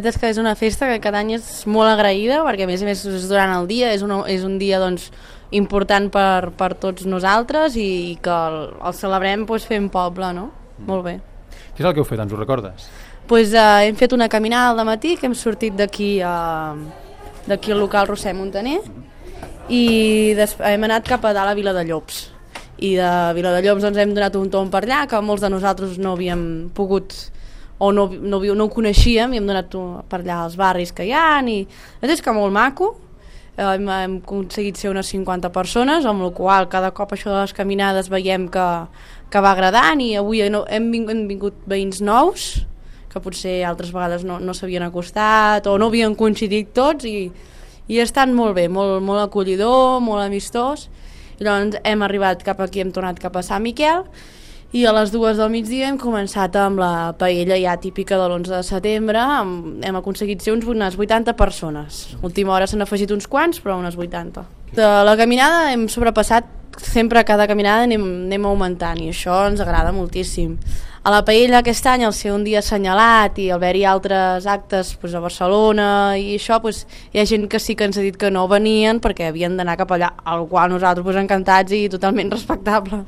És que és una festa que cada any és molt agraïda perquè a més és durant el dia, és un dia doncs, important per tots nosaltres i que el celebrem doncs, fent poble, no? Molt bé. Què és el que heu fet, ens ho recordes? Pues, hem fet una caminada al matí que hem sortit d'aquí al local Roser Montaner i hem anat cap a dalt a Viladallops i de Viladallops doncs, hem donat un tomb per allà que molts de nosaltres no havíem pogut o no ho coneixíem i hem donat per allà als barris que hi ha i és que molt maco. Hem aconseguit ser unes 50 persones, amb la qual cada cop això de les caminades veiem que va agradant i avui hem vingut veïns nous que potser altres vegades no s'havien acostat o no havien coincidit tots i estan molt bé, molt acollidor, molt amistós. I llavors hem arribat cap aquí, hem tornat cap a Sant Miquel i a les 2 del migdia hem començat amb la paella ja típica de l'11 de setembre, hem aconseguit ser unes 80 persones. A última hora s'han afegit uns quants, però unes 80. De la caminada hem sobrepassat, sempre cada caminada anem augmentant i això ens agrada moltíssim. A la paella aquest any, al ser un dia assenyalat i al haver-hi altres actes doncs, a Barcelona i això, doncs, hi ha gent que sí que ens ha dit que no venien perquè havien d'anar cap allà, al qual nosaltres doncs, encantats i totalment respectable.